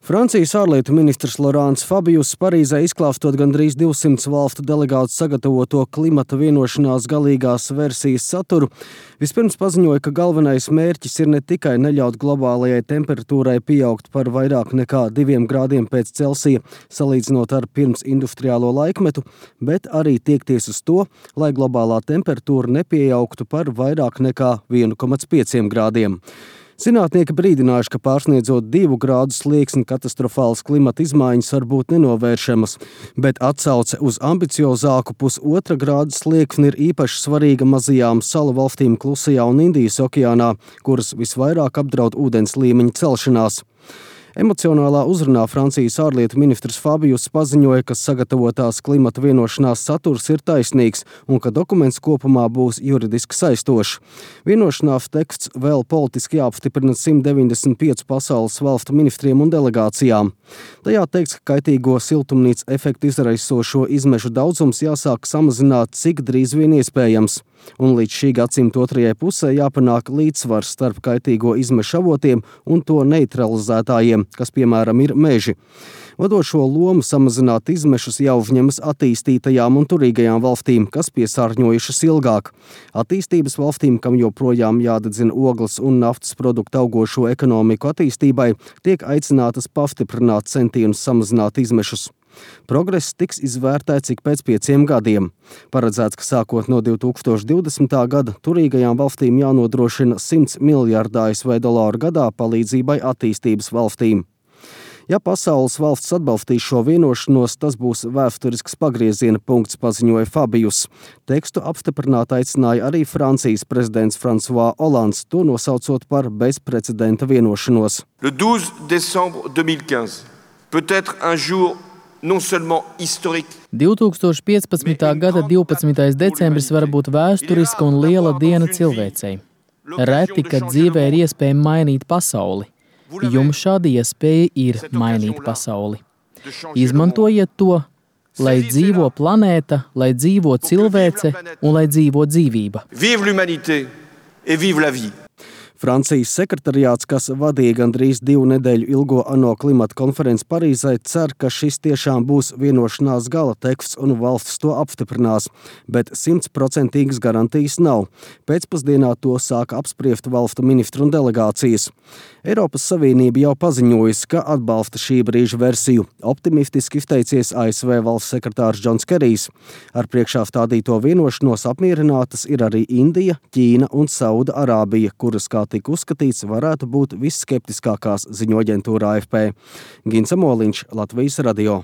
Francijas ārlietu ministrs Laurents Fabius Parīzē izklāstot gandrīz 200 valstu delegātu sagatavoto klimata vienošanās galīgās versijas saturu, vispirms paziņoja, ka galvenais mērķis ir ne tikai neļaut globālajai temperatūrai pieaugt par vairāk nekā 2 grādiem pēc Celsija, salīdzinot ar pirms industriālo laikmetu, bet arī tiekties uz to, lai globālā temperatūra nepieaugtu par vairāk nekā 1,5 grādiem. Zinātnieki brīdinājuši, ka pārsniedzot 2 grādu slieksni katastrofālas klimata izmaiņas var būt nenovēršamas, bet atsauce uz ambiciozāku 1,5 grādu slieksni ir īpaši svarīga mazajām salu valstīm Klusajā un Indijas okeānā, kuras visvairāk apdraud ūdens līmeņa celšanās. Emocionālā uzrunā Francijas ārlietu ministrs Fabius paziņoja, ka sagatavotās klimata vienošanās saturs ir taisnīgs un ka dokuments kopumā būs juridiski saistošs. Vienošanās teksts vēl politiski jāapstiprina 195 pasaules valstu ministriem un delegācijām. Tajā teikts, ka kaitīgo siltumnīca efektu izraisošo izmešu daudzums jāsāk samazināt cik drīz vien iespējams. Un līdz šī gadsimta otrajai pusē jāpanāk līdzsvars starp kaitīgo izmešu avotiem un to neutralizētājiem, kas piemēram ir meži. Vadošo lomu samazināt izmešus jau uzņemas attīstītajām un turīgajām valstīm, kas piesārņojušas ilgāk. Attīstības valstīm, kam joprojām jādedzina ogles un naftas produktu augošo ekonomiku attīstībai, tiek aicinātas pastiprināt centienus samazināt izmešus. Progress tiks izvērtēts ik pēc 5 gadiem. Paredzēts, ka sākot no 2020. gada turīgajām valstīm jānodrošina $100 miljārdu ASV gadā palīdzībai attīstības valstīm. Ja pasaules valsts atbalstīs šo vienošanos, tas būs vēsturisks pagrieziena punkts, paziņoja Fabius. Tekstu apstiprināt aicināja arī Francijas prezidents François Hollands, to nosaucot par bezprecedenta vienošanos. Le 12 décembre 2015 peut être un jour non seulement historique. 2015. gada 12. decembris var būt vēsturiska un liela diena cilvēcei. Reti, kad dzīvē ir iespēja mainīt pasauli. Jums šāda iespēja ir mainīt pasauli. Izmantojiet to, lai dzīvo planēta, lai dzīvo cilvēce un lai dzīvo dzīvība. Vive l'humanité et vive la vie. Francijas sekretariāts, kas vadīja gandrīz 2 nedēļu ilgo ANO klimata konferenci Parīzē, cer, ka šis tiešām būs vienošanās gala teksts un valstis to apstiprinās, bet 100% garantijas nav. Pēcpusdienā to sāka apspriest valstu ministru un delegācijas. Eiropas Savienība jau paziņojusi, ka atbalsta šī brīža versiju. Optimistiski izteicies ASV valsts sekretārs Džons Kerijs. Ar priekšā stādīto vienošanos apmierinātas ir arī Indija, Ķīna un Sauda Arābija, kuras, kā tika uzskatīts, varētu būt visskeptiskākās, ziņo aģentūra AFP. Gins Amoliņš, Latvijas radio.